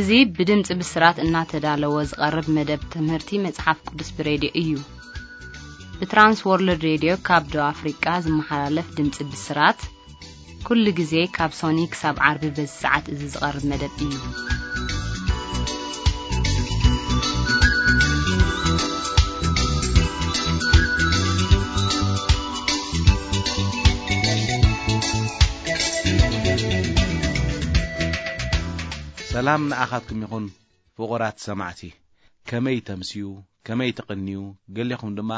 እዚ ብድምፂ ብስራት እናተዳለወ ዝቐርብ መደብ ትምህርቲ መፅሓፍ ቅዱስ ብሬድዮ እዩ። ብትራንስ ወርልድ ሬድዮ ካብ ደቡብ ኣፍሪቃ ዝመሓላለፍ ድምፂ ብስራት፣ ኩሉ ግዜ ካብ ሶኒ ክሳብ ዓርቢ በዚ ሰዓት እዚ ዝቐርብ መደብ እዩ። ሰላም ንኣኻትኩም ይኹን ፍቑራት ሰማዕቲ። ከመይ ተምስዩ፣ ከመይ ትቕንዩ፣ ገሌኹም ድማ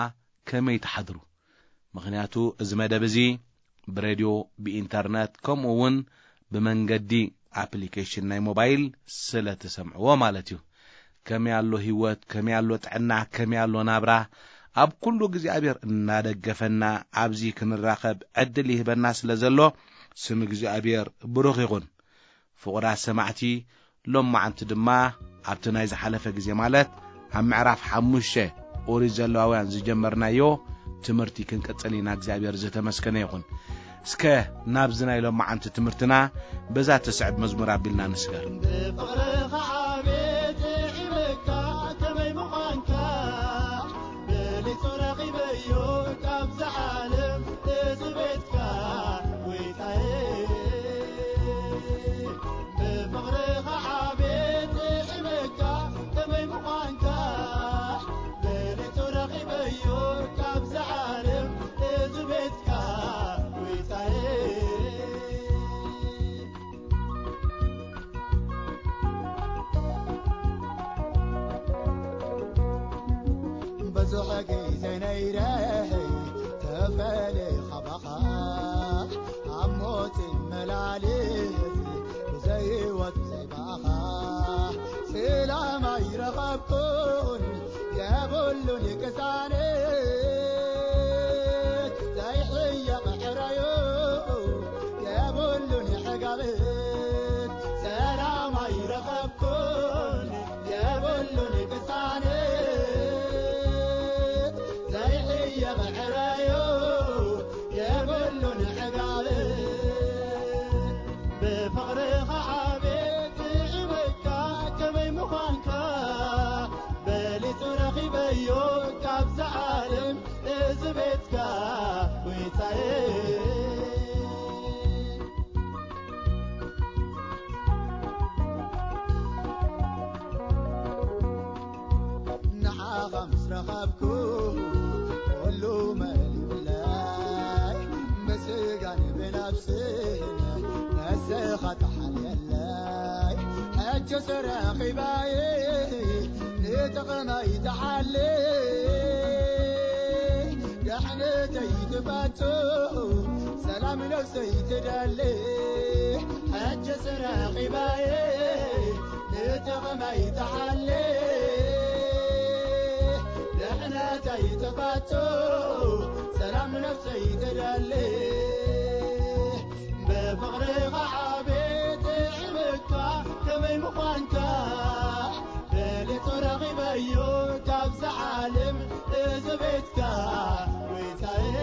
ከመይ ትሓድሩ? ምኽንያቱ እዚ መደብ እዚ ብሬድዮ፣ ብኢንተርነት፣ ከምኡ እውን ብመንገዲ ኣፕሊኬሽን ናይ ሞባይል ስለ ትሰምዕዎ ማለት እዩ። ከመይ ኣሎ ህይወት፣ ከመይ ኣሎ ጥዕና፣ ከመይ ኣሎ ናብራ፣ ኣብ ኩሉ እግዚኣብሔር እናደገፈና ኣብዚ ክንራኸብ ዕድል ይህበና ስለ ዘሎ ስም እግዚኣብሔር ብሩኽ ይኹን። ፍቑራት ሰማዕቲ፣ ሎማዓንቲ ድማ ኣብቲ ናይ ዝሓለፈ ግዜ ማለት ኣብ ምዕራፍ ሓሙሽተ ኦሪት ዘለዋውያን ዝጀመርናዮ ትምህርቲ ክንቅጽል ኢና። እግዚኣብሔር ዝተመስገነ ይኹን። እስከ ናብዚ ናይ ሎማዓንቲ ትምህርትና በዛ ትስዕብ መዝሙር ኣቢልና ንስገር። ብፍቕርኻ ዓቤት ይዕበካ ከመይ ምዃንካ፣ በሊጹ ረኺበዮ ካብዛ ዓለም እዚ ቤትካ፣ ጎይታየ። ብፍቕርኻ ዓቤት ይዕበካ ከመይ ምዃንካ፣ በሊጹ ረኺበዮ ካብዛ ዓለም እዚ ቤትካ፣ ጎይታየ። ብዙሕ ግዜ ነይረ ተፈልየ ካባኻ፣ ኣብ ሞት መላልስ ብዘይ ህይወት ብዘይ ብኣኻ፣ ሰላም ኣይረኸብኩን የብሉን ቅሳነት፣ ዘይሕየቕ ሕራዮ የብሉን ሕጋብት፣ ሰላም ኣይረኸብኩን የብሉን ቅሳነት፣ ዘይሕየቕ ሕራዮ የብሉን ሕጋብት። ብፍቕርኻ ዓቤት ይዕበካ ከመይ ምዃንካ፣ በሊጹ ረኺበዮ ካብዛ ዓለም እዚ ቤትካ፣ ጎይታየ። ንዓኻ ምስ ረኸብኩ ኩሉ መሊኡለይ፣ ብስጋን ብነፍስን ነስኻ ተሓልየለይ። ሕጅስ ረኺባየ ንጥቕመይ ተሓሊ፣ ድሕነተይ ትፈቱ ሰላም ነፍሰይ ትደሊ። ሕጅስ ረኺባየ ንጥቕመይ ተሓሊ፣ ድሕነተይ ትፈቱ ሰላም ነፍሰይ ትደሊ። ብፍቕርኻ ዓቤት ይዕበካ ከመይ ምዃንካ፣ በሊጹ ረኺበዮ ካብዛ ዓለም እዚ ቤትካ፣ ጎይታየ።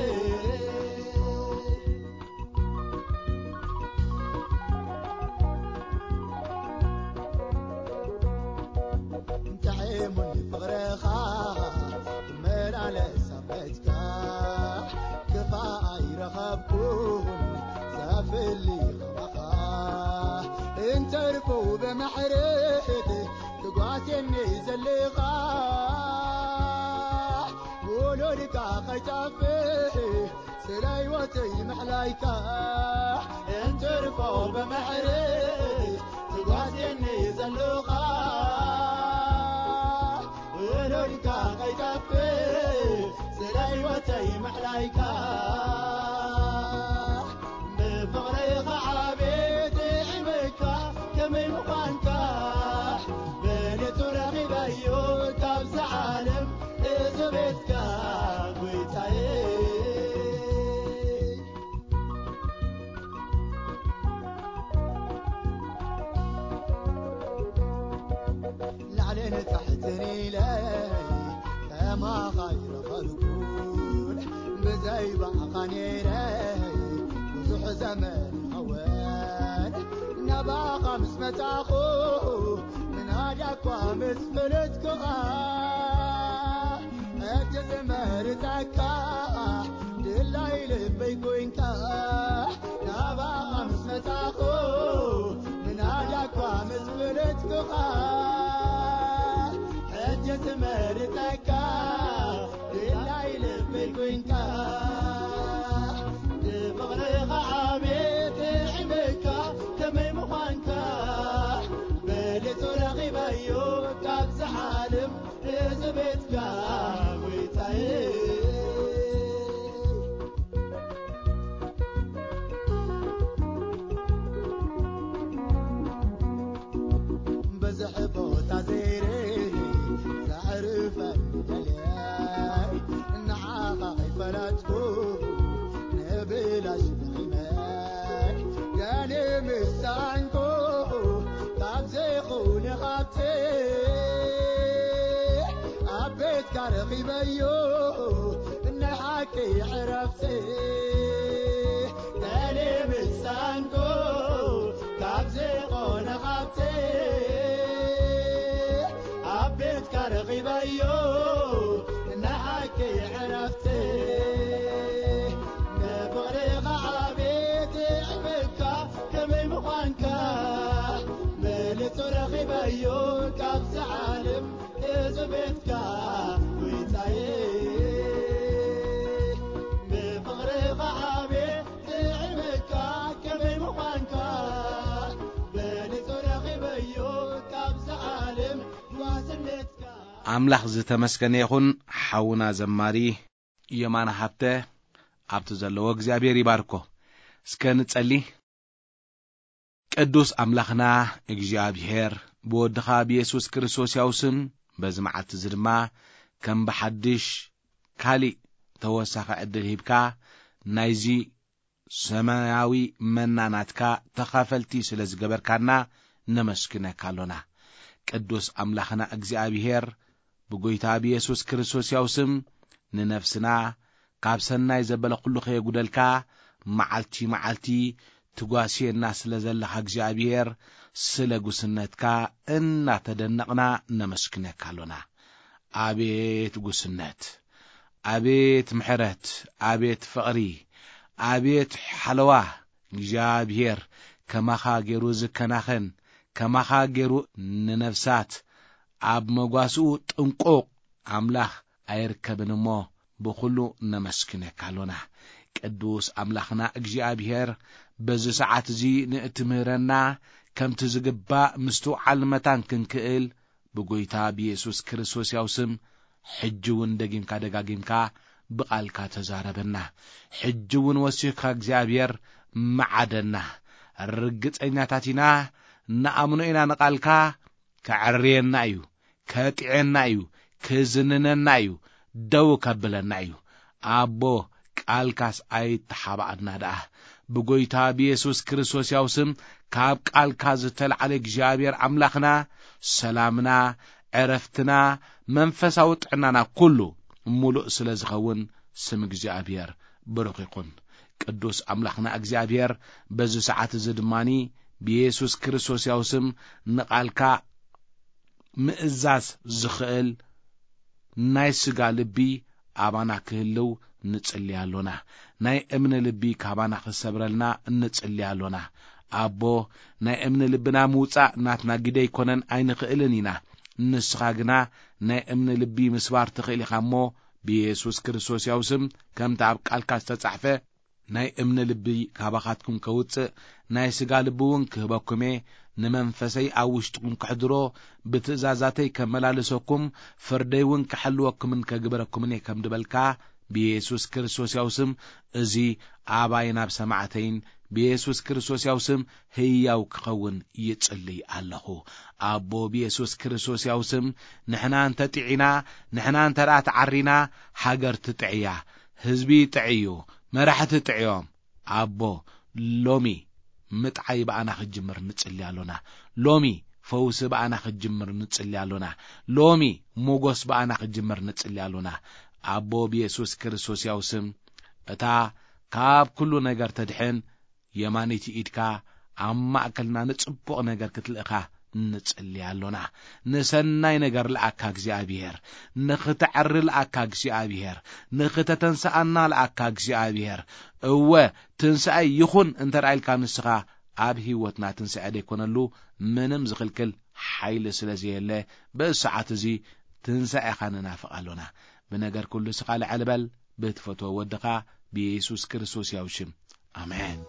ጥዒሙኒ ፍቕርኻ ክመላለስ ኣብ ቤትካ፣ ክፋእ ኣይረኸብኩን ዘፍሊ ከማኻ፣ እንተርፎ ብምሕረት ትጓስየኒ ዘለኻ፣ ውሉድካ ከይጠፍእ ስለ ህይወተይ ምሕላይካ፣ እንትርፎ ብምሕረት ትጓዝየኒ ዘለኻ፣ ውሉድካ ከይጠፍእ ስለ ህይወተይ ምሕላይካ። ብፍቕርኻ ዓቤት ይዕበካ ከመይ ምዃንካ፣ በሊጹ ረኺበዮ ካብዛ ዓለም እዚ ቤትካ፣ ጎይታየ። ላዕልን ታሕትን ኢለ ከማኻ ኣይረኸብኩን፣ ብዘይ ብኣኻ ነይረ ብዙሕ ዘመን ይኸውን። ናባኻ ምስ መጻኹ ዳኳ ምስ ፈለጥኩኻ፣ ሕጂ ዝመርጸካ፣ ድላይ ልበይ ኮይንካ፣ ናባኻ ምስ መጻኹ፣ ምናዳኳ ምስ ፈለጥኩኻ፣ ሕጂ ዝመርጸካ፣ ድላይ ልበይ ኮይንካ። ንፍቕርኻ ዓቤት ይዕበካ ከመይ ምዃንካ፣ በሊጹ ረኺበዮ ካብዛ ዓለም እዚ ቤትካ ጎይታየ። ብዙሕ ቦታ ዘይርኢ ዘዕርፈኒ ደልየ፣ ንዓኻ ከይፈለጥኩ ንብላሽ ደኺመ። ገለ ምሳንኩ ካብ ዘይኹን ሃብቲ ኣብ ቤትካ ረኺበዮ ናይ ሓቂ ዕረፍቲ። ገለ ምሳንኩ ካብ ዘይኾነ ሃብቲ ኣብ ቤትካ ረኺበዮ ናይ ሓቂ ዕረፍቲ። ንፍቕርኻ ዓቤት ይዕበካ ከመይ ምዃንካ፣ በሊጹ ረኺበዮ ካብዛ ዓለም እዚ ቤትካ ጎይታየ። ንፍቕርኻ ዓቤት ይዕበካ ከመይ ምዃንካ፣ በሊጹ ረኺበዮ ካብዛ ዓለም ዋስነትካ። ኣምላኽ ዝተመስገነ ይኹን። ሓውና ዘማሪ የማነ ሃብተ ኣብቲ ዘለዎ እግዚኣብሔር ይባርኮ። እስከ ንጸሊ። ቅዱስ ኣምላኽና እግዚኣብሔር፣ ብወድኻ ብየሱስ ክርስቶስ ያው ስም በዚ መዓልቲ እዚ ድማ ከም ብሓድሽ ካሊእ ተወሳኺ ዕድል ሂብካ ናይዚ ሰማያዊ መና ናትካ ተኻፈልቲ ስለ ዝገበርካና ነመስግነካ ኣሎና። ቅዱስ ኣምላኽና እግዚኣብሔር፣ ብጎይታ ብየሱስ ክርስቶስ ያው ስም ንነፍስና ካብ ሰናይ ዘበለ ኩሉ ከየጉደልካ፣ መዓልቲ መዓልቲ ትጓስየና ስለ ዘለኻ እግዚኣብሔር፣ ስለ ጉስነትካ እናተደነቕና ነመስግነካ ኣሎና። ኣቤት ጉስነት! ኣቤት ምሕረት! ኣቤት ፍቕሪ! ኣቤት ሓለዋ! እግዚኣብሔር ከማኻ ገይሩ ዝከናኸን፣ ከማኻ ገይሩ ንነፍሳት ኣብ መጓስኡ ጥንቁቕ ኣምላኽ ኣይርከብን እሞ፣ ብኹሉ ነመስግነካ ኣሎና። ቅዱስ ኣምላኽና እግዚኣብሔር፣ በዚ ሰዓት እዚ ንእትምህረና፣ ከምቲ ዝግባእ ምስትውዓል መታን ክንክእል፣ ብጎይታ ብየሱስ ክርስቶስ ያው ስም፣ ሕጂ እውን ደጊምካ ደጋጊምካ ብቓልካ ተዛረበና። ሕጂ እውን ወሲኽካ እግዚኣብሔር መዓደና። ርግጸኛታት ኢና፣ ንኣምኖ ኢና ንቓልካ፣ ከዐርየና እዩ፣ ከጥዕየና እዩ፣ ክዝንነና እዩ፣ ደው ከብለና እዩ። ኣቦ፣ ቃልካስ ኣይተሓባኣና ደኣ። ብጎይታ ብየሱስ ክርስቶስ ያው ስም፣ ካብ ቃልካ ዝተልዓለ እግዚኣብሔር ኣምላኽና፣ ሰላምና፣ ዕረፍትና፣ መንፈሳዊ ጥዕናና ኩሉ ምሉእ ስለ ዝኸውን፣ ስም እግዚኣብሔር ብሩኽ ይኹን። ቅዱስ ኣምላኽና እግዚኣብሔር፣ በዚ ሰዓት እዚ ድማኒ፣ ብየሱስ ክርስቶስ ያው ስም፣ ንቓልካ ምእዛዝ ዝኽእል ናይ ስጋ ልቢ ኣባና ክህልው ንጽሊ ኣሎና። ናይ እምኒ ልቢ ካባና ክሰብረልና ንጽሊ ኣሎና። ኣቦ፣ ናይ እምኒ ልብና ምውጻእ ናትና ግደ ኣይኮነን፣ ኣይንኽእልን ኢና። ንስኻ ግና ናይ እምኒ ልቢ ምስባር ትኽእል ኢኻ እሞ፣ ብየሱስ ክርስቶስ ያው ስም፣ ከምቲ ኣብ ቃልካ ዝተጻሕፈ፣ ናይ እምኒ ልቢ ካባኻትኩም ከውጽእ፣ ናይ ስጋ ልቢ እውን ክህበኩም እየ። ንመንፈሰይ ኣብ ውሽጥኩም ከሕድሮ፣ ብትእዛዛተይ ከመላልሰኩም፣ ፍርደይ እውን ክሕልወኩምን ከግበረኩምን እየ ከም ድበልካ፣ ብየሱስ ክርስቶስ ያው ስም፣ እዚ ኣባይን ኣብ ሰማዕተይን ብየሱስ ክርስቶስ ያው ስም ህያው ክኸውን ይጽልይ ኣለኹ። ኣቦ፣ ብየሱስ ክርስቶስ ያው ስም፣ ንሕና እንተ ጥዒና፣ ንሕና እንተ ደኣ ተዓሪና፣ ሃገር ትጥዕያ፣ ህዝቢ ይጥዕዩ፣ መራሕቲ ጥዕዮም። ኣቦ፣ ሎሚ ምጥዓይ ብኣና ክጅምር ንጽሊ ኣሎና። ሎሚ ፈውሲ ብኣና ክጅምር ንጽሊ ኣሎና። ሎሚ ሞጎስ ብኣና ክጅምር ንጽሊ ኣሎና። ኣቦ፣ ብየሱስ ክርስቶስ ያው ስም፣ እታ ካብ ኩሉ ነገር ተድሕን የማነይቲ ኢድካ ኣብ ማእከልና ንጽቡቕ ነገር ክትልእኻ ንጽሊ ኣሎና። ንሰናይ ነገር ለኣካ እግዚኣብሔር፣ ንኽተዕሪ ለኣካ እግዚኣብሔር፣ ንኽተተንስኣና ለኣካ እግዚኣብሔር። እወ፣ ትንሳኤ ይኹን እንተ ደኣ ኢልካ ንስኻ፣ ኣብ ህይወትና ትንሳኤ ደይኮነሉ ምንም ዝኽልክል ሓይሊ ስለ ዘየለ፣ በዚ ሰዓት እዚ ትንሳኤኻ ንናፍቕ ኣሎና። ብነገር ኩሉ ስኻ ልዕል በል፣ ብትፈትዎ ወድኻ ብየሱስ ክርስቶስ ያው ሽም። ኣሜን።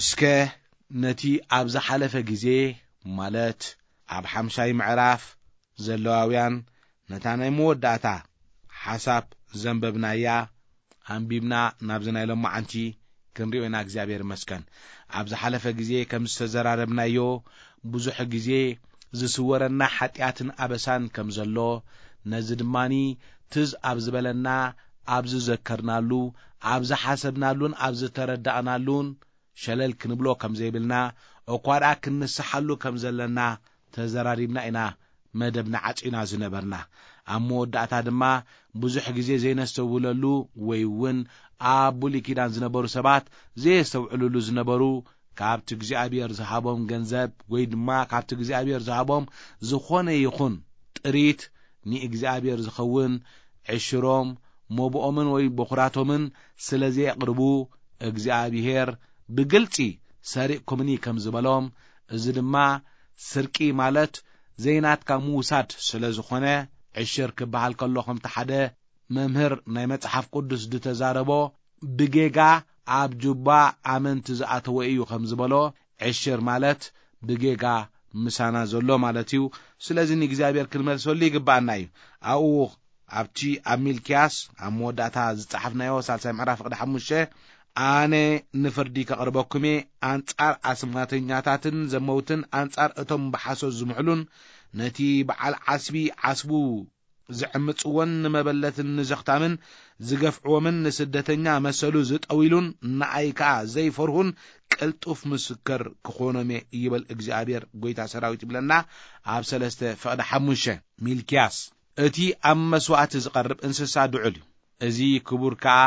እስከ ነቲ ኣብ ዝሓለፈ ግዜ፣ ማለት ኣብ ሓምሻይ ምዕራፍ ዘለዋውያን፣ ነታ ናይ መወዳእታ ሓሳብ ዘንበብናያ ኣንቢብና ናብዚ ናይ ሎማዓንቲ ክንሪኦ ኢና። እግዚኣብሔር ይመስገን። ኣብ ዝሓለፈ ግዜ ከም ዝተዘራረብናዮ፣ ብዙሕ ግዜ ዝስወረና ሓጢኣትን ኣበሳን ከም ዘሎ፣ ነዚ ድማኒ ትዝ ኣብ ዝበለና፣ ኣብ ዝዘከርናሉ፣ ኣብ ዝሓሰብናሉን ኣብ ዝተረዳእናሉን ሸለል ክንብሎ ከም ዘይብልና፣ እኳ ደኣ ክንንስሓሉ ከም ዘለና ተዘራሪብና ኢና መደብና ዓጺና ዝነበርና። ኣብ መወዳእታ ድማ፣ ብዙሕ ግዜ ዘይነስተውለሉ ወይ እውን ኣብ ብሉይ ኪዳን ዝነበሩ ሰባት ዘየስተውዕልሉ ዝነበሩ፣ ካብቲ እግዚኣብሔር ዝሃቦም ገንዘብ ወይ ድማ ካብቲ እግዚኣብሔር ዝሃቦም ዝኾነ ይኹን ጥሪት ንእግዚኣብሔር ዝኸውን ዕሽሮም፣ መብኦምን ወይ በኹራቶምን ስለ ዘየቕርቡ፣ እግዚኣብሔር ብግልጺ ሰሪቕኩምኒ ከም ዝበሎም፣ እዚ ድማ ስርቂ ማለት ዘይናትካ ምውሳድ ስለ ዝኾነ፣ ዕሽር ክበሃል ከሎ ከምቲ ሓደ መምህር ናይ መጽሓፍ ቅዱስ ዝተዛረቦ፣ ብጌጋ ኣብ ጁባ ኣመንቲ ዝኣተወ እዩ ከም ዝበሎ፣ ዕሽር ማለት ብጌጋ ምሳና ዘሎ ማለት እዩ። ስለዚ ንእግዚኣብሔር ክንመልሰሉ ይግብኣና እዩ። ኣብኡ ኣብቲ ኣብ ሚልክያስ ኣብ መወዳእታ ዝጸሓፍናዮ ሳልሳይ ምዕራፍ ቅዲ ሓሙሽተ፣ ኣነ ንፍርዲ ከቕርበኩም እየ፣ ኣንጻር ኣስማተኛታትን ዘመውትን፣ ኣንጻር እቶም ብሓሶት ዝምሕሉን ነቲ በዓል ዓስቢ ዓስቡ ዝዕምጽዎን ንመበለትን ንዘኽታምን ዝገፍዕዎምን ንስደተኛ መሰሉ ዝጠዊሉን ንኣይ ከኣ ዘይፈርሁን ቅልጡፍ ምስክር ክኾኖም እየ ይብል እግዚኣብሔር ጐይታ ሰራዊት ይብለና ኣብ ሰለስተ ፍቕዲ ሓሙሽተ። ሚልክያስ። እቲ ኣብ መስዋእቲ ዝቐርብ እንስሳ ድዑል እዩ። እዚ ክቡር ከኣ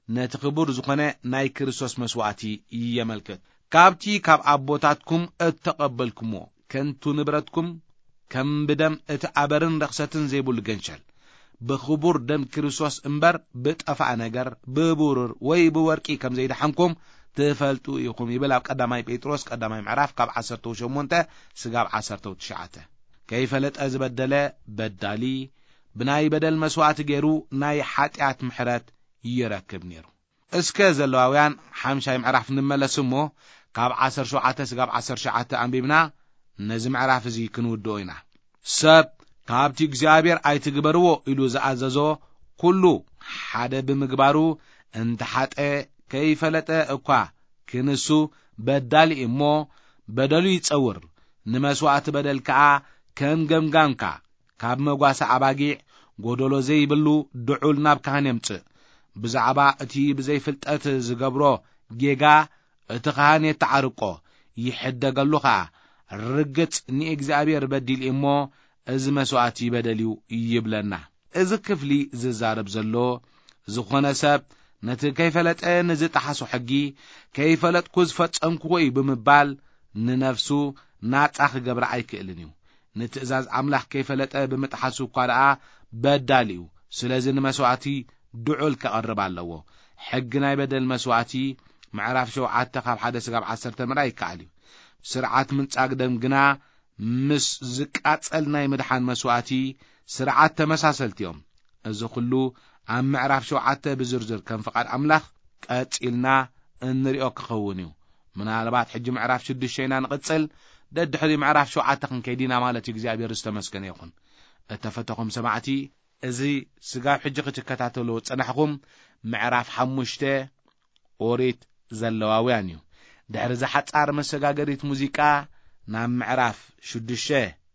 ነቲ ክቡር ዝኾነ ናይ ክርስቶስ መስዋእቲ የመልክት። ካብቲ ካብ ኣቦታትኩም እተቐበልኩምዎ ከንቱ ንብረትኩም ከም ብደም እቲ ኣበርን ረኽሰትን ዘይብሉ ገንሸል ብኽቡር ደም ክርስቶስ እምበር ብጠፋእ ነገር ብብሩር ወይ ብወርቂ ከም ዘይደሓንኩም ትፈልጡ ኢኹም ይብል ኣብ ቀዳማይ ጴጥሮስ ቀዳማይ ምዕራፍ ካብ ዓሰርተ ሸሞንተ ስጋብ ዓሰርተ ትሽዓተ። ከይፈለጠ ዝበደለ በዳሊ ብናይ በደል መስዋእቲ ገይሩ ናይ ሓጢኣት ምሕረት ይረክብ ነይሩ። እስከ ዘለዋውያን ሓምሻይ ምዕራፍ ንመለስ እሞ፣ ካብ ዓሰርተ ሸውዓተ ስጋብ ዓሰርተ ትሽዓተ ኣንቢብና ነዚ ምዕራፍ እዚ ክንውድኦ ኢና። ሰብ ካብቲ እግዚኣብሔር ኣይትግበርዎ ኢሉ ዝኣዘዞ ኩሉ ሓደ ብምግባሩ እንተሓጠ ከይፈለጠ እኳ ክንሱ በዳሊ እሞ በደሉ ይጸውር፣ ንመስዋእቲ በደል ከኣ ከም ገምጋምካ ካብ መጓሰ ኣባጊዕ ጐደሎ ዘይብሉ ድዑል ናብ ካህን የምጽእ። ብዛዕባ እቲ ብዘይፍልጠት ዝገብሮ ጌጋ እቲ ካህን የተዓርቆ፣ ይሕደገሉ ኸኣ። ርግጽ ንእግዚኣብሔር በዲሉ እሞ እዚ መስዋእቲ በደል እዩ ይብለና። እዚ ክፍሊ ዝዛረብ ዘሎ፣ ዝኾነ ሰብ ነቲ ከይፈለጠ ንዝጠሓሶ ሕጊ፣ ከይፈለጥኩ ዝፈጸምክዎ እዩ ብምባል ንነፍሱ ናጻ ክገብራ ኣይክእልን እዩ። ንትእዛዝ ኣምላኽ ከይፈለጠ ብምጥሓሱ እኳ ደኣ በዳሊ እዩ። ስለዚ ንመስዋእቲ ድዑል ከቐርብ ኣለዎ። ሕጊ ናይ በደል መስዋእቲ ምዕራፍ ሸውዓተ ካብ ሓደ ስጋብ ዓሰርተ ምርኣይ ይከኣል እዩ። ስርዓት ምንጻግ ደም ግና ምስ ዝቃጸል ናይ ምድሓን መስዋእቲ ስርዓት ተመሳሰልቲ እዮም። እዚ ኩሉ ኣብ ምዕራፍ ሸውዓተ ብዝርዝር ከም ፍቓድ ኣምላኽ ቀጺልና እንሪኦ ክኸውን እዩ። ምናልባት ሕጂ ምዕራፍ ሽዱሽተ ኢና ንቕጽል፣ ደድሕሪ ምዕራፍ ሸውዓተ ክንከይድ ኢና ማለት እዩ። እግዚኣብሔር ዝተመስገነ ይኹን። እተፈተኹም ሰማዕቲ፣ እዚ ስጋብ ሕጂ ክትከታተልዎ ዝጸናሕኩም ምዕራፍ ሓሙሽተ ኦሪት ዘለዋውያን እዩ። ድሕሪ እዛ ሓጻር መሰጋገሪት ሙዚቃ ናብ ምዕራፍ ሽዱሽተ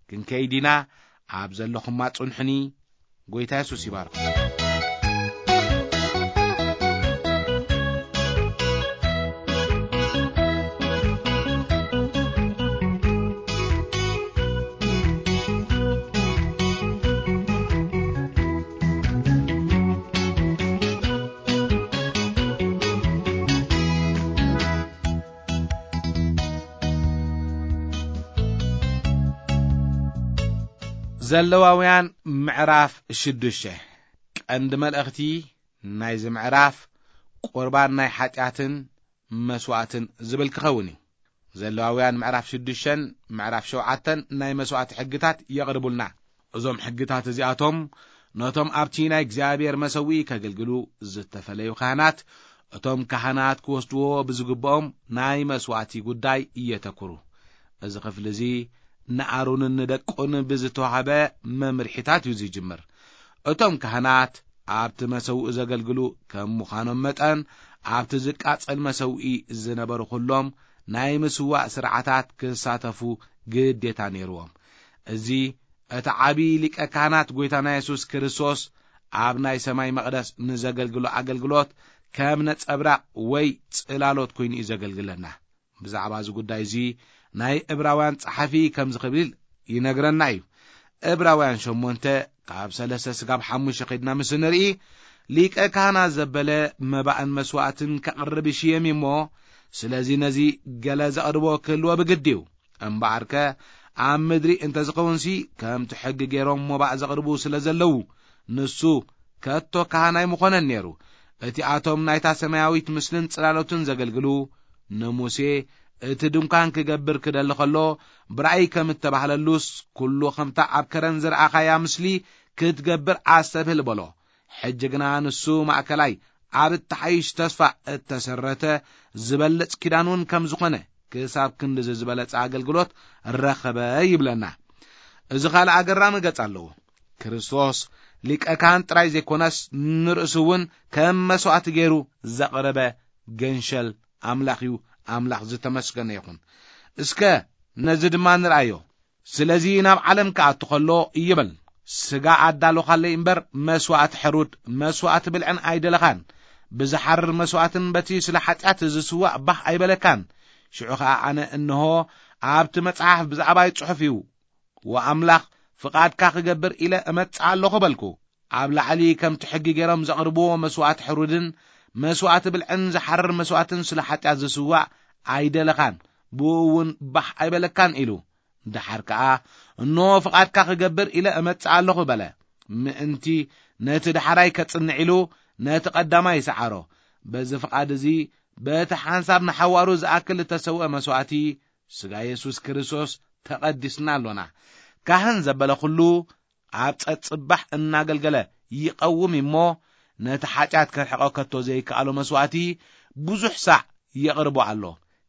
ክንከይድ ኢና። ኣብ ዘለኹማ ጽንሑኒ። ጎይታ የሱስ ይባርኽ። ዘለዋውያን ምዕራፍ ሽዱሽተ። ቀንዲ መልእኽቲ ናይዚ ምዕራፍ ቁርባን ናይ ሓጢኣትን መስዋእትን ዝብል ክኸውን እዩ። ዘለዋውያን ምዕራፍ ሽዱሽተን ምዕራፍ ሸውዓተን ናይ መስዋእቲ ሕግታት የቕርቡልና። እዞም ሕግታት እዚኣቶም ነቶም ኣብቲ ናይ እግዚኣብሔር መሰውኢ ከገልግሉ ዝተፈለዩ ካህናት፣ እቶም ካህናት ክወስድዎ ብዝግብኦም ናይ መስዋእቲ ጉዳይ እየተኩሩ። እዚ ክፍሊ እዚ ንኣሮንን ንደቁን ብዝተዋህበ መምርሒታት እዩ ዝጅምር። እቶም ካህናት ኣብቲ መሰውኢ ዘገልግሉ ከም ምዃኖም መጠን፣ ኣብቲ ዝቃጸል መሰውኢ ዝነበሩ ኩሎም ናይ ምስዋእ ስርዓታት ክሳተፉ ግዴታ ነይርዎም። እዚ እቲ ዓቢ ሊቀ ካህናት ጎይታና የሱስ ክርስቶስ ኣብ ናይ ሰማይ መቕደስ ንዘገልግሎ ኣገልግሎት ከም ነጸብራቕ ወይ ጽላሎት ኮይኑ እዩ ዘገልግለና። ብዛዕባ እዚ ጉዳይ እዚ ናይ ዕብራውያን ጸሓፊ ከምዚ ክብል ይነግረና እዩ። ዕብራውያን ሸሞንተ ካብ ሰለስተ ስጋብ ሓሙሽተ ከይድና ምስ ንርኢ፣ ሊቀ ካህናት ዘበለ መባእን መስዋእትን ከቕርብ ይሽየም እዩ እሞ፣ ስለዚ ነዚ ገለ ዘቕርቦ ክህልዎ ብግዲ እዩ። እምበኣርከ ኣብ ምድሪ እንተ ዝኸውንሲ፣ ከምቲ ሕጊ ገይሮም መባእ ዘቕርቡ ስለ ዘለዉ፣ ንሱ ከቶ ካህን ኣይምኾነን ነይሩ። እቲኣቶም ናይታ ሰማያዊት ምስልን ጽላሎትን ዘገልግሉ፣ ንሙሴ እቲ ድንኳን ክገብር ክደሊ ኸሎ፣ ብራእይ ከም እተባህለሉስ፣ ኩሉ ከምታ ኣብ ከረን ዝረኣኻያ ምስሊ ክትገብር ኣስተብህል በሎ። ሕጂ ግና ንሱ ማእከላይ ኣብ እተሓይሽ ተስፋ እተሰረተ ዝበልጽ ኪዳን እውን ከም ዝኾነ፣ ክሳብ ክንድዚ ዝበለጸ ኣገልግሎት ረኸበ ይብለና። እዚ ካልእ ኣገራሚ ገጽ ኣለዎ። ክርስቶስ ሊቀ ካህን ጥራይ ዘይኮነስ፣ ንርእሱ እውን ከም መስዋእቲ ገይሩ ዘቕረበ ገንሸል ኣምላኽ እዩ። ኣምላኽ ዝተመስገነ ይኹን። እስከ ነዚ ድማ ንርኣዮ። ስለዚ ናብ ዓለም ክኣቱ ኸሎ ይብል፣ ስጋ ኣዳሎኻለይ እምበር፣ መስዋእቲ ሕሩድ፣ መስዋእቲ ብልዕን ኣይደለኻን። ብዝሓርር መስዋእትን በቲ ስለ ሓጢኣት ዝስዋእ ባህ ኣይበለካን። ሽዑ ኸኣ ኣነ እንሆ ኣብቲ መጽሓፍ ብዛዕባይ ጽሑፍ እዩ፣ ወኣምላኽ ፍቓድካ ክገብር ኢለ እመጽእ ኣለኹ በልኩ። ኣብ ላዕሊ ከምቲ ሕጊ ገይሮም ዘቕርብዎ መስዋእቲ ሕሩድን መስዋእቲ ብልዕን ዝሓርር መስዋእትን ስለ ሓጢኣት ዝስዋእ ኣይደለኻን፣ ብኡ እውን ባህ ኣይበለካን ኢሉ። ደሓር ከኣ፣ እንሆ ፍቓድካ ክገብር ኢለ እመጽእ ኣለኹ በለ። ምእንቲ ነቲ ደሓራይ ከጽንዕ ኢሉ ነቲ ቀዳማይ ይሰዓሮ። በዚ ፍቓድ እዚ በቲ ሓንሳብ ንሓዋሩ ዝኣክል እተሰውአ መስዋእቲ ስጋ የሱስ ክርስቶስ ተቐዲስና ኣሎና። ካህን ዘበለ ኩሉ ኣብ ጸጽባሕ እናገልገለ ይቐውም እሞ፣ ነቲ ሓጢኣት ከርሕቖ ከቶ ዘይከኣሎ መስዋእቲ ብዙሕ ሳዕ የቕርቦ ኣሎ።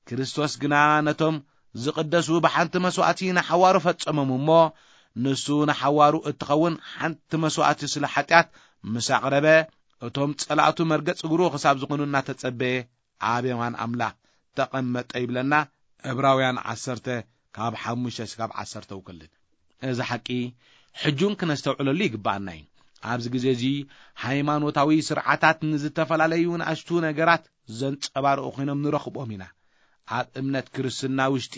ክርስቶስ ግና ነቶም ዝቕደሱ ብሓንቲ መስዋእቲ ንሓዋሩ ፈጸሞም እሞ፣ ንሱ ንሓዋሩ እትኸውን ሓንቲ መስዋእቲ ስለ ሓጢኣት ምስ ኣቕረበ፣ እቶም ጸላእቱ መርገጽ እግሩ ክሳብ ዝኾኑ እናተጸበየ ኣብ የማን ኣምላኽ ተቐመጠ ይብለና። ዕብራውያን ዓሰርተ ካብ ሓሙሽተ እስካብ ዓሰርተ ውክልን። እዚ ሓቂ ሕጁን ክነስተውዕለሉ ይግብኣና እዩ። ኣብዚ ግዜ እዚ ሃይማኖታዊ ስርዓታት ንዝተፈላለዩ ንኣሽቱ ነገራት ዘንጸባርቑ ኮይኖም ንረኽቦም ኢና። ኣብ እምነት ክርስትና ውሽጢ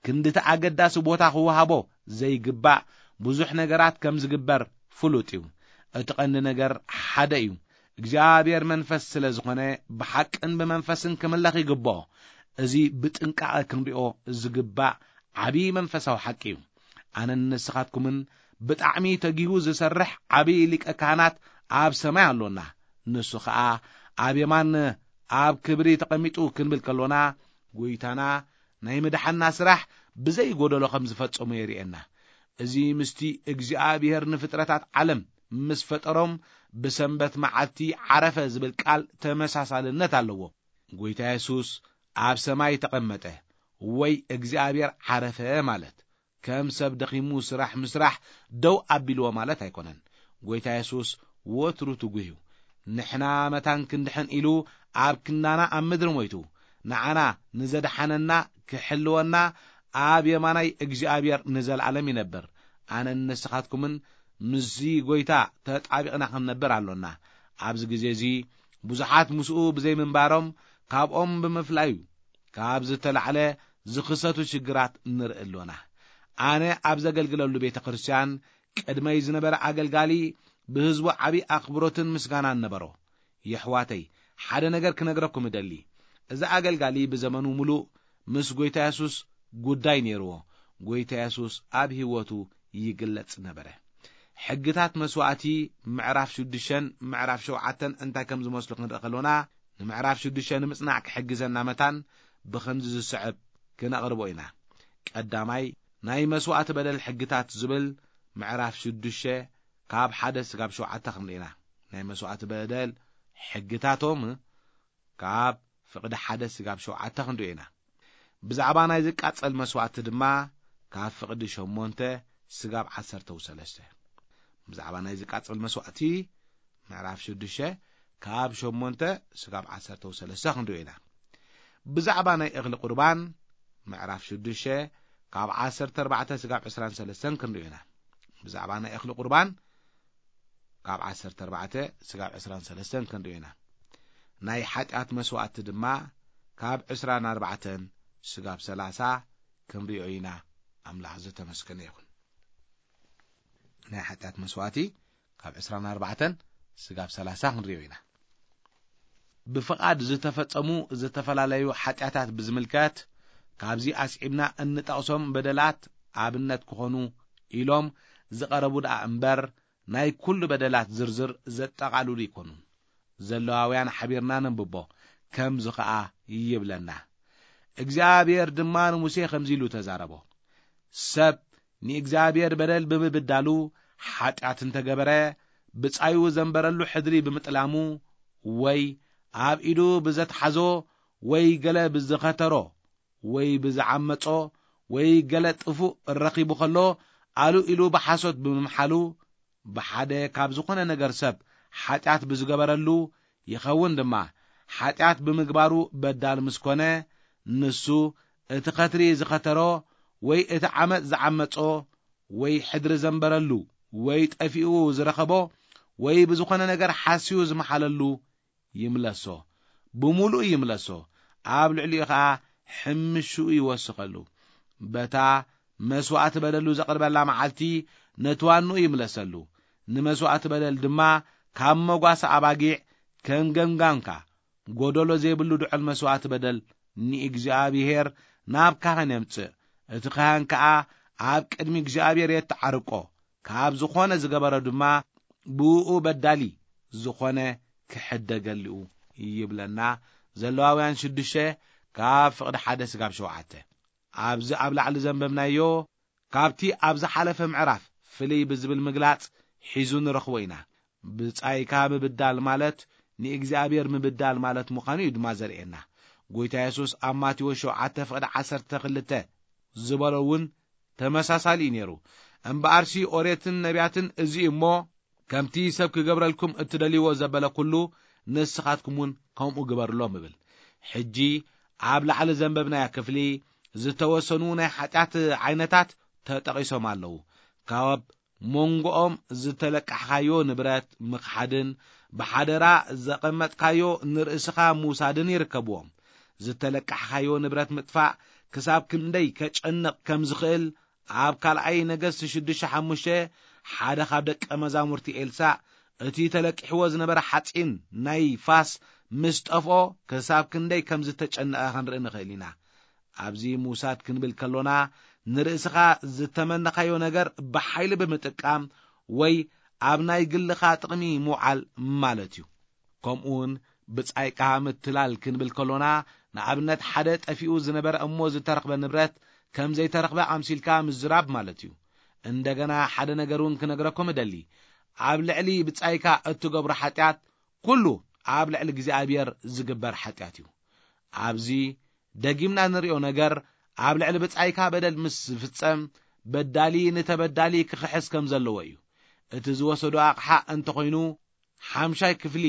ክንድቲ ኣገዳሲ ቦታ ክወሃቦ ዘይግባእ ብዙሕ ነገራት ከም ዝግበር ፍሉጥ እዩ። እቲ ቀንዲ ነገር ሓደ እዩ። እግዚኣብሔር መንፈስ ስለ ዝኾነ፣ ብሓቅን ብመንፈስን ክምለኽ ይግብኦ። እዚ ብጥንቃቐ ክንሪኦ ዝግባእ ዓብዪ መንፈሳዊ ሓቂ እዩ። ኣነን ንስኻትኩምን ብጣዕሚ ተጊሁ ዝሰርሕ ዓብዪ ሊቀ ካህናት ኣብ ሰማይ ኣሎና። ንሱ ኸኣ ኣብ የማን ኣብ ክብሪ ተቐሚጡ ክንብል ከሎና፣ ጐይታና ናይ ምድሓንና ስራሕ ብዘይ ጐደሎ ከም ዝፈጸሞ የርእየና። እዚ ምስቲ እግዚኣብሔር ንፍጥረታት ዓለም ምስ ፈጠሮም ብሰንበት መዓልቲ ዓረፈ ዝብል ቃል ተመሳሳልነት ኣለዎ። ጐይታ የሱስ ኣብ ሰማይ ተቐመጠ ወይ እግዚኣብሔር ዓረፈ ማለት ከም ሰብ ደኺሙ ስራሕ ምስራሕ ደው ኣቢልዎ ማለት ኣይኮነን። ጐይታ የሱስ ወትሩ ትጉህ እዩ። ንሕና መታን ክንድሕን ኢሉ ኣብ ክንዳና ኣብ ምድሪ ሞይቱ፣ ንዓና ንዘድሓነና ክሕልወና ኣብ የማናይ እግዚኣብሔር ንዘለኣለም ይነብር። ኣነን ንስኻትኩምን ምስዚ ጐይታ ተጣቢቕና ክንነብር ኣሎና። ኣብዚ ግዜ እዚ ብዙሓት ምስኡ ብዘይምንባሮም፣ ካብኦም ብምፍላዩ፣ ካብ ዝተላዕለ ዝኽሰቱ ሽግራት ንርኢ ኣሎና። ኣነ ኣብ ዘገልግለሉ ቤተ ክርስቲያን ቅድመይ ዝነበረ ኣገልጋሊ ብህዝቡ ዓቢ ኣኽብሮትን ምስጋናን ነበሮ። የሕዋተይ፣ ሓደ ነገር ክነግረኩም እደሊ። እዚ ኣገልጋሊ ብዘመኑ ምሉእ ምስ ጐይታ የሱስ ጉዳይ ነይርዎ። ጐይታ የሱስ ኣብ ህይወቱ ይግለጽ ነበረ። ሕግታት መስዋእቲ ምዕራፍ ሽዱሽተን ምዕራፍ ሸውዓተን እንታይ ከም ዝመስሉ ክንርኢ ከሎና፣ ንምዕራፍ ሽዱሽተ ንምጽናዕ ክሕግዘና መታን ብኸምዚ ዝስዕብ ክነቕርቦ ኢና። ቀዳማይ፣ ናይ መስዋእቲ በደል ሕግታት ዝብል ምዕራፍ ሽዱሽተ ካብ ሓደ ስጋብ ሸውዓተ ክንርኢ ኢና። ናይ መስዋእቲ በደል ሕግታቶም ካብ ፍቕዲ ሓደ ስጋብ ሸውዓተ ክንርኢ ኢና። ብዛዕባ ናይ ዝቃጸል መስዋእቲ ድማ ካብ ፍቕዲ ሸሞንተ ስጋብ ዓሰርተ ሰለስተ። ብዛዕባ ናይ ዝቃጸል መስዋእቲ ምዕራፍ ሽዱሽተ ካብ ሸሞንተ ስጋብ ዓሰርተ ሰለስተ ክንርኢ ኢና። ብዛዕባ ናይ እኽሊ ቁርባን ምዕራፍ ሽዱሽተ ካብ ዓሰርተ ኣርባዕተ ስጋብ ዕስራን ሰለስተን ክንርኢ ኢና። ብዛዕባ ናይ እኽሊ ቁርባን ካብ ዓሰርተ ኣርባዕተ ስጋብ ዕስራን ሰለስተን ክንርኢ ኢና። ናይ ሓጢኣት መስዋእቲ ድማ ካብ ዕስራን ኣርባዕተን ስጋብ ሰላሳ ክንሪኦ ኢና። ኣምላኽ ዝተመስገነ ይኹን። ናይ ሓጢኣት መስዋእቲ ካብ ዕስራን ኣርባዕተን ስጋብ ሰላሳ ክንሪኦ ኢና። ብፍቓድ ዝተፈጸሙ ዝተፈላለዩ ሓጢኣታት ብዝምልከት፣ ካብዚ ኣስዒብና እንጠቕሶም በደላት ኣብነት ክኾኑ ኢሎም ዝቐረቡ ደኣ እምበር፣ ናይ ኩሉ በደላት ዝርዝር ዘጠቓልሉ ኣይኮኑን። ዘለዋውያን ሓቢርና ነንብቦ፣ ከምዚ ኸኣ ይብለና። እግዚኣብሔር ድማ ንሙሴ ከምዚ ኢሉ ተዛረቦ። ሰብ ንእግዚኣብሔር በደል ብምብዳሉ ሓጢኣት እንተገበረ፣ ብጻዩ ዘንበረሉ ሕድሪ ብምጥላሙ፣ ወይ ኣብ ኢዱ ብዘትሓዞ፣ ወይ ገለ ብዝኸተሮ፣ ወይ ብዝዓመጾ፣ ወይ ገለ ጥፉእ ረኺቡ ኸሎ፣ ኣሉ ኢሉ ብሓሶት ብምምሓሉ፣ ብሓደ ካብ ዝኾነ ነገር ሰብ ሓጢኣት ብዝገበረሉ፣ ይኸውን ድማ፣ ሓጢኣት ብምግባሩ በዳል ምስ ኮነ፣ ንሱ እቲ ኸትሪ ዝኸተሮ፣ ወይ እቲ ዓመጽ ዝዓመጾ፣ ወይ ሕድሪ ዘንበረሉ፣ ወይ ጠፊኡ ዝረኸቦ፣ ወይ ብዝኾነ ነገር ሓስዩ ዝመሓለሉ ይምለሶ፣ ብምሉኡ ይምለሶ፣ ኣብ ልዕሊኡ ኸኣ ሕምሽኡ ይወስኸሉ። በታ መስዋእቲ በደሉ ዘቕርበላ መዓልቲ ነቲ ዋንኡ ይምለሰሉ። ንመስዋእቲ በደል ድማ ካብ መጓሰ ኣባጊዕ ከም ገምጋምካ፣ ጎደሎ ዘይብሉ ድዑል መስዋእቲ በደል ንእግዚኣብሔር ናብ ካህን የምጽእ። እቲ ካህን ከኣ ኣብ ቅድሚ እግዚኣብሔር የተዓርቆ፣ ካብ ዝኾነ ዝገበሮ ድማ ብእኡ በዳሊ ዝኾነ ክሕደገሉ ይብለና። ዘለዋውያን ሽዱሽተ ካብ ፍቕዲ ሓደ ስጋብ ሸውዓተ። ኣብዚ ኣብ ላዕሊ ዘንበብናዮ ካብቲ ኣብ ዝሓለፈ ምዕራፍ ፍልይ ብዝብል ምግላጽ ሒዙ ንረኽቦ ኢና። ብጻይካ ምብዳል ማለት ንእግዚኣብሔር ምብዳል ማለት ምዃኑ እዩ ድማ ዘርእየና። ጐይታ የሱስ ኣብ ማቴዎስ ሸውዓተ ፍቕዲ ዓሰርተ ክልተ ዝበሎ እውን ተመሳሳሊ እዩ ነይሩ። እምበኣርሲ ኦሬትን ነቢያትን እዚ እዩ እሞ፣ ከምቲ ሰብ ክገብረልኩም እትደልይዎ ዘበለ ኩሉ ንስኻትኩም እውን ከምኡ ግበርሎም እብል። ሕጂ ኣብ ላዕሊ ዘንበብናያ ክፍሊ ዝተወሰኑ ናይ ሓጢኣት ዓይነታት ተጠቒሶም ኣለዉ። ካብ መንጎኦም ዝተለቃሕኻዮ ንብረት ምኽሓድን ብሓደራ ዘቐመጥካዮ ንርእስኻ ምውሳድን ይርከብዎም። ዝተለቃሕኻዮ ንብረት ምጥፋእ ክሳብ ክንደይ ከጨንቕ ከም ዝኽእል ኣብ ካልኣይ ነገስቲ ሽዱሽተ ሓሙሽተ ሓደ ካብ ደቀ መዛሙርቲ ኤልሳእ እቲ ተለቂሕዎ ዝነበረ ሓጺን ናይ ፋስ ምስ ጠፍኦ ክሳብ ክንደይ ከም ዝተጨነቐ ክንርኢ ንኽእል ኢና። ኣብዚ ምውሳድ ክንብል ከሎና ንርእስኻ ዝተመነኻዮ ነገር ብሓይሊ ብምጥቃም ወይ ኣብ ናይ ግልኻ ጥቕሚ ምውዓል ማለት እዩ። ከምኡውን ብጻይቃ ምትላል ክንብል ከሎና ንኣብነት ሓደ ጠፊኡ ዝነበረ እሞ ዝተረኽበ ንብረት ከም ዘይተረኽበ ኣምሲልካ ምዝራብ ማለት እዩ። እንደገና ሓደ ነገር እውን ክነግረኩም እደሊ። ኣብ ልዕሊ ብጻይካ እትገብሮ ሓጢኣት ኩሉ ኣብ ልዕሊ እግዚኣብሔር ዝግበር ሓጢኣት እዩ። ኣብዚ ደጊምና ንሪኦ ነገር ኣብ ልዕሊ ብጻይካ በደል ምስ ዝፍጸም በዳሊ ንተበዳሊ ክኽሕስ ከም ዘለዎ እዩ። እቲ ዝወሰዶ ኣቕሓ እንተኾይኑ ሓምሻይ ክፍሊ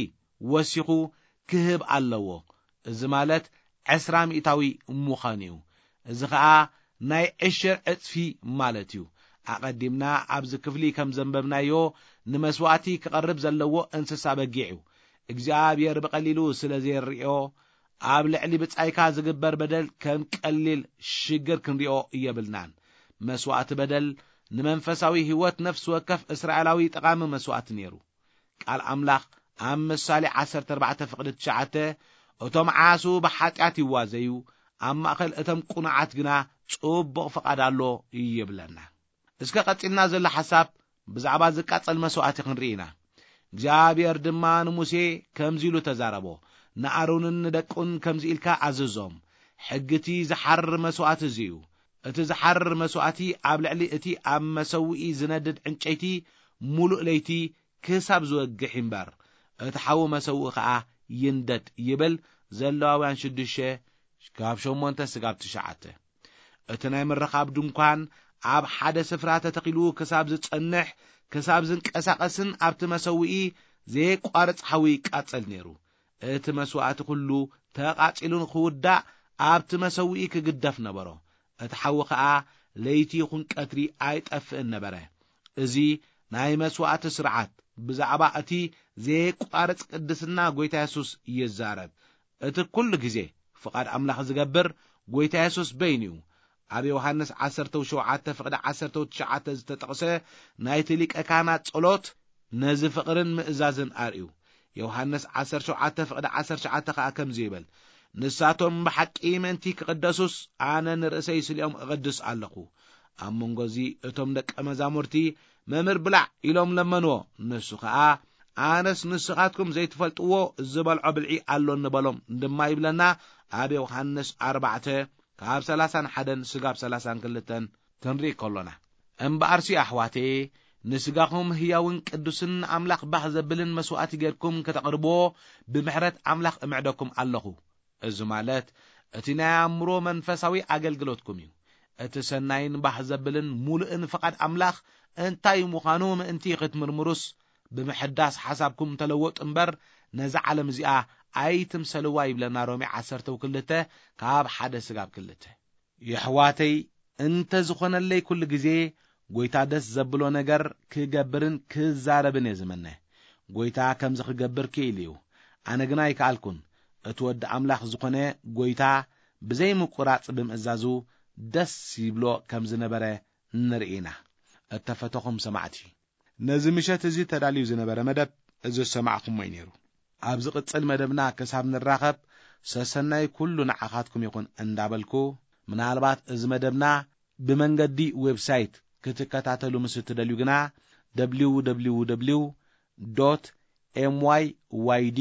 ወሲኹ ክህብ ኣለዎ። እዚ ማለት ዕስራ ሚእታዊ ምዃን እዩ። እዚ ኸኣ ናይ ዕሽር ዕጽፊ ማለት እዩ። ኣቐዲምና ኣብዚ ክፍሊ ከም ዘንበብናዮ፣ ንመስዋእቲ ክቐርብ ዘለዎ እንስሳ በጊዕ እዩ። እግዚኣብሔር ብቐሊሉ ስለ ዘይርዮ፣ ኣብ ልዕሊ ብጻይካ ዝግበር በደል ከም ቀሊል ሽግር ክንሪኦ የብልናን። መስዋእቲ በደል ንመንፈሳዊ ህይወት ነፍሲ ወከፍ እስራኤላዊ ጠቓሚ መስዋእቲ ነይሩ። ቃል ኣምላኽ ኣብ ምሳሌ ዓሰርተ ኣርባዕተ ፍቕዲ ትሽዓተ፣ "እቶም ዓሱ ብሓጢኣት ይዋዘዩ፣ ኣብ ማእከል እቶም ቅኑዓት ግና ጽቡቕ ፍቓድ ኣሎ" ይብለና። እስከ ቀጺልና ዘሎ ሓሳብ ብዛዕባ ዝቃጸል መስዋእቲ ክንርኢ ኢና። እግዚኣብሔር ድማ ንሙሴ ከምዚ ኢሉ ተዛረቦ፣ "ንኣሮንን ንደቁን ከምዚ ኢልካ ኣዘዞም፣ ሕጊ እቲ ዝሓርር መስዋእቲ እዚ እዩ። እቲ ዝሓርር መስዋእቲ ኣብ ልዕሊ እቲ ኣብ መሰውኢ ዝነድድ ዕንጨይቲ ምሉእ ለይቲ ክሳብ ዝወግሕ ይንበር፣ እቲ ሓዊ መሰውኢ ኸኣ ይንደድ" ይብል። ዘለዋውያን ሽዱሽተ ካብ ሸሞንተ ስጋብ ትሽዓተ። እቲ ናይ ምርኻብ ድንኳን ኣብ ሓደ ስፍራ ተተኺሉ ክሳብ ዝጸንሕ፣ ክሳብ ዝንቀሳቐስን ኣብቲ መሰውኢ ዘየቋርጽ ሓዊ ይቃጸል ነይሩ። እቲ መስዋእቲ ኩሉ ተቓጺሉ ንኽውዳእ ኣብቲ መሰውኢ ክግደፍ ነበሮ። እቲ ሓዊ ኸኣ ለይቲ ይኹን ቀትሪ ኣይጠፍእን ነበረ። እዚ ናይ መስዋእቲ ስርዓት ብዛዕባ እቲ ዘየቋርጽ ቅድስና ጐይታ የሱስ ይዛረብ። እቲ ኩሉ ግዜ ፍቓድ ኣምላኽ ዝገብር ጐይታ የሱስ በይኑ እዩ። ኣብ ዮሃንስ ዓሰርተ ሸውዓተ ፍቕዲ ዓሰርተ ትሽዓተ ዝተጠቕሰ ናይቲ ሊቀ ካህናት ጸሎት ነዚ ፍቕርን ምእዛዝን ኣርእዩ። ዮሃንስ ዓሰርተ ሸውዓተ ፍቕዲ ዓሰርተ ትሽዓተ ኸኣ ከምዚ ይብል፣ "ንሳቶም ብሓቂ ምእንቲ ክቕደሱስ ኣነ ንርእሰይ ስሊኦም እቕድስ ኣለኹ።" ኣብ መንጎ እዚ እቶም ደቀ መዛሙርቲ፣ "መምህር ብላዕ" ኢሎም ለመንዎ። ንሱ ኸኣ፣ "ኣነስ ንስኻትኩም ዘይትፈልጥዎ ዝበልዖ ብልዒ ኣሎኒ" በሎም ድማ ይብለና ኣብ ዮሃንስ ኣርባዕተ ካብ ሰላሳን ሓደን ስጋብ ሰላሳን ክልተን ክንርኢ ከሎና። እምበኣርሲ ኣሕዋተየ፣ ንስጋኹም ህያውን ቅዱስን ንኣምላኽ ባህ ዘብልን መስዋእቲ ጌርኩም ከተቕርብዎ ብምሕረት ኣምላኽ እምዕደኩም ኣለኹ። እዚ ማለት እቲ ናይ ኣእምሮ መንፈሳዊ ኣገልግሎትኩም እዩ። እቲ ሰናይን ባህ ዘብልን ምሉእን ፍቓድ ኣምላኽ እንታይ ምዃኑ ምእንቲ ክትምርምሩስ፣ ብምሕዳስ ሓሳብኩም ተለወጡ እምበር፣ ነዛ ዓለም እዚኣ ኣይትምሰልዋ ይብለና ሮሜ ዓሰርተ ክልተ ካብ ሓደ ስጋብ ክልተ። የሕዋተይ፣ እንተ ዝኾነለይ ኩሉ ግዜ ጐይታ ደስ ዘብሎ ነገር ክገብርን ክዛረብን እየ ዝምነ። ጐይታ ከምዚ ክገብር ክኢሉ እዩ። ኣነ ግና ኣይከኣልኩን። እቲ ወዲ ኣምላኽ ዝኾነ ጐይታ ብዘይ ምቁራጽ ብምእዛዙ ደስ ይብሎ ከም ዝነበረ ንርኢ ኢና። እተፈተኹም ሰማዕቲ፣ ነዚ ምሸት እዚ ተዳልዩ ዝነበረ መደብ እዚ ዝሰማዕኹሞ እዩ ነይሩ። ኣብ ዝቕጽል መደብና ክሳብ ንራኸብ ሰሰናይ ኩሉ ንዓኻትኩም ይኹን እንዳበልኩ፣ ምናልባት እዚ መደብና ብመንገዲ ዌብሳይት ክትከታተሉ ምስ እትደልዩ ግና፣ www dot myyd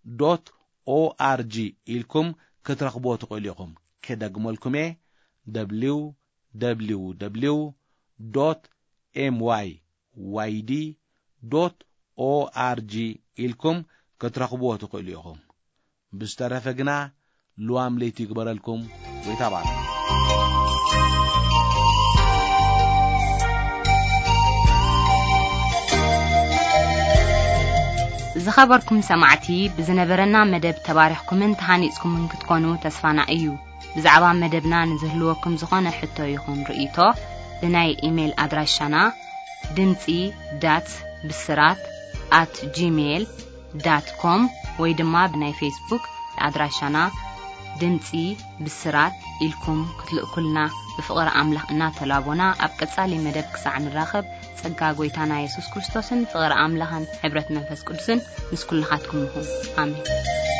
dot org ኢልኩም ክትረኽብዎ ትኽእሉ ኢኹም። ክደግመልኩም እየ፣ www dot myyd dot org ኢልኩም ክትረኽብዎ ትኽእሉ ኢኹም። ብዝተረፈ ግና ልዋም ለይቲ ይግበረልኩም። ጐይታ ባርኩም። ዝኸበርኩም ሰማዕቲ፣ ብዝነበረና መደብ ተባሪኽኩምን ተሃኒጽኩምን ክትኮኑ ተስፋና እዩ። ብዛዕባ መደብና ንዝህልወኩም ዝኾነ ሕቶ ይኹን ርእይቶ፣ ብናይ ኢሜይል ኣድራሻና ድምጺ ዳት ብስራት ኣት ጂሜይል ዳት ኮም ወይ ድማ ብናይ ፌስቡክ ኣድራሻና ድምጺ ብስራት ኢልኩም ክትልእኩልና ብፍቕሪ ኣምላኽ እናተላቦና፣ ኣብ ቀጻሊ መደብ ክሳዕ ንራኸብ፣ ጸጋ ጐይታና የሱስ ክርስቶስን ፍቕሪ ኣምላኽን ሕብረት መንፈስ ቅዱስን ምስ ኩልኻትኩም ይኹን። ኣሜን።